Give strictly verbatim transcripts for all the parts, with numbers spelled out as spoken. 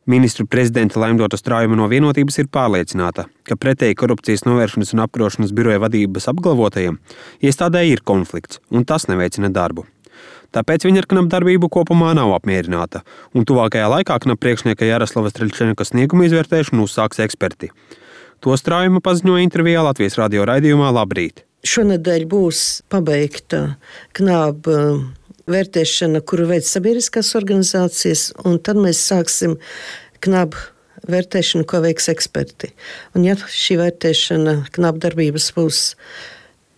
Ministru prezidenta Laimdota Straujuma no Vienotības ir pārliecināta, ka pretēji korupcijas novēršanas un apkarošanas biroja vadības apgalvotajiem iestādē ir konflikts, un tas neveicina darbu. Tāpēc viņa ar K N A B darbību kopumā nav apmierināta, un tuvākajā laikā K N A B priekšnieka Jaroslavas Streļčenka snieguma izvērtēšanu uzsāks eksperti. To Straujuma paziņoja intervijā Latvijas radio raidījumā Labrīt. Šonedēļ būs pabeigta K N A B vērtēšana, kuru veids sabiedriskās organizācijas, un tad mēs sāksim K N A B vērtēšanu, ko veiks eksperti. Un ja šī vērtēšana K N A B darbības būs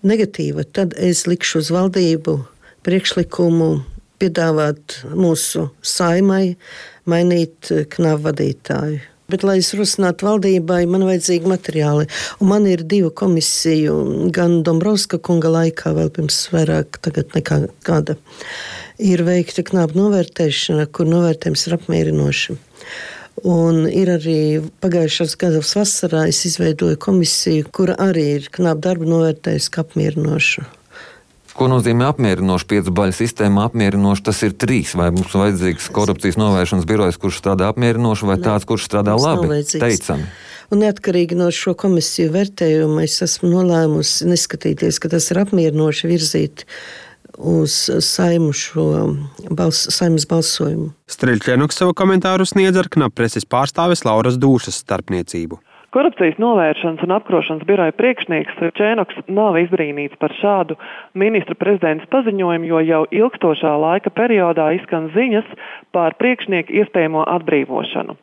negatīva, tad es likšu uz valdību priekšlikumu piedāvāt mūsu saimai mainīt K N A B vadītāju. Bet, lai es rosinātu valdībai, man vajadzīgi materiāli. Un man ir divu komisiju, gan Dombrovska kunga laikā, vēl pirms vairāk tagad nekā gada, ir veikta K N A B novērtēšana, kur novērtējums ir apmierinoši. Un ir arī pagājušās gadas vasarā es izveidoju komisiju, kura arī ir K N A B darbu novērtējusi kā apmierinošu. Ko nozīmē apmierinoši? Piecu baļu sistēma apmierinoši, tas ir trīs. Vai mums vajadzīgs korupcijas novēršanas birojs, kurš strādā apmierinoši, vai ne, tāds, kurš strādā labi? Teicami. Un neatkarīgi no šo komisiju vērtējumu es esmu nolēmusi neskatīties, ka tas ir apmierinoši virzīt uz saimu šo bals, saimas balsojumu. Streļčenoks savu komentāru sniedz ar K N A B preses pārstāves Lauras Dūšas starpniecību. Korupcijas novēršanas un apkarošanas biroja priekšnieks Čēnoks nav izbrīnīts par šādu ministra prezidents paziņojumu, jo jau ilgstošā laika periodā izskan ziņas par priekšnieku iespējamo atbrīvošanu.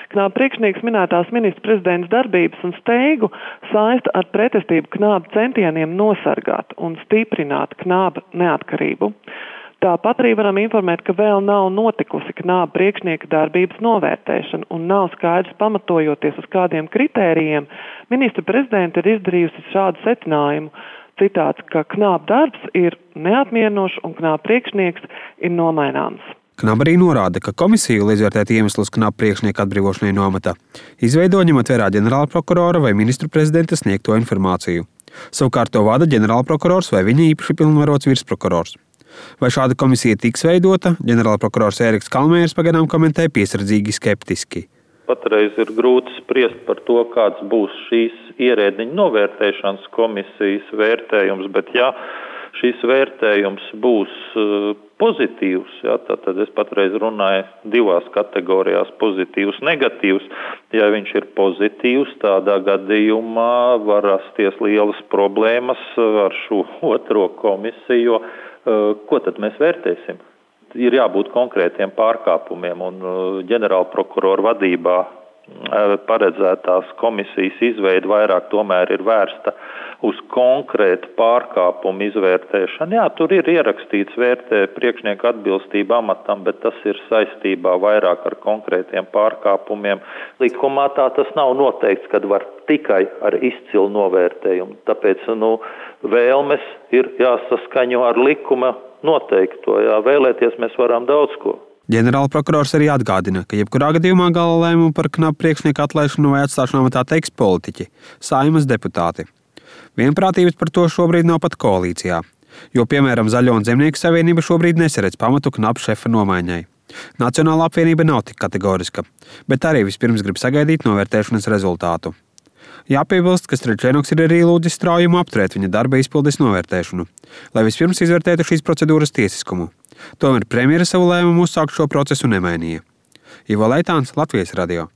K N A B priekšnieks minētās ministra prezidents darbības un steigu saista ar pretestību K N A B centieniem nosargāt un stiprināt K N A B neatkarību. Tāpat arī varam informēt, ka vēl nav notikusi K N A B priekšnieka darbības novērtēšana un nav skaidrs, pamatojoties uz kādiem kritērijiem, ministra prezidenta ir izdarījusi šādu secinājumu. Citāts, ka K N A B darbs ir neapmierinošs un K N A B priekšnieks ir nomaināms. K N A B arī norāda, ka komisija, lai izvērtētu iemeslus K N A B priekšnieka atbrīvošanai no amata, izveido ņemot vērā ģenerālprokurora vai ministru prezidenta sniegto informāciju. Savukārt to vada ģenerālprokurors vai viņa īpaši pilnvarots virsprokurors. Vai šāda komisija tiks veidota, ģenerālprokurors Ēriks Kalmērs pagaidām komentē piesardzīgi skeptiski. Patreiz ir grūti spriest par to, kāds būs šīs ierēdniņu novērtēšanas komisijas vērtējums, bet ja šis vērtējums būs pozitīvs, ja, tad es patreiz runāju divās kategorijās - pozitīvs, negatīvs. Ja viņš ir pozitīvs, tādā gadījumā var rasties lielas problēmas ar šo otro komisiju. Ko tad mēs vērtēsim? Ir jābūt konkrētiem pārkāpumiem, un ģenerālprokurora vadībā paredzētās komisijas izveide vairāk tomēr ir vērsta uz konkrētu pārkāpumu izvērtēšanu. Jā, tur ir ierakstīts vērtē priekšnieku atbilstību amatam, bet tas ir saistībā vairāk ar konkrētiem pārkāpumiem. Likumā tā tas nav noteikts, kad var tikai ar izcilu novērtējumu. Tāpēc, nu, vēlmes ir jāsaskaņo ar likuma noteikto. Jā, vēlēties mēs varam daudz ko. Ģenerālprokurors arī atgādina, ka jebkurā gadījumā gala lēmumu par K N A B priekšnieku atlaišanu vai atstāšanu amatā teiks politiķi, Saeimas deputāti. Vienprātības par to šobrīd nav pat koalīcijā, jo, piemēram, Zaļo un Zemnieku savienība šobrīd nesaredz pamatu K N A B šefa nomaiņai. Nacionālā apvienība nav tik kategoriska, bet arī vispirms grib sagaidīt novērtēšanas rezultātu. Jāpiebilst, ka Streļčenoks ir arī lūdzis Straujumu apturēt viņa darba izpildes novērtēšanu, lai vispirms izvērtētu šīs procedūras tiesiskumu. Tomēr premjera savu lēmumu uzsākt šo procesu nemainīja. Ivo Leitāns, Latvijas radio.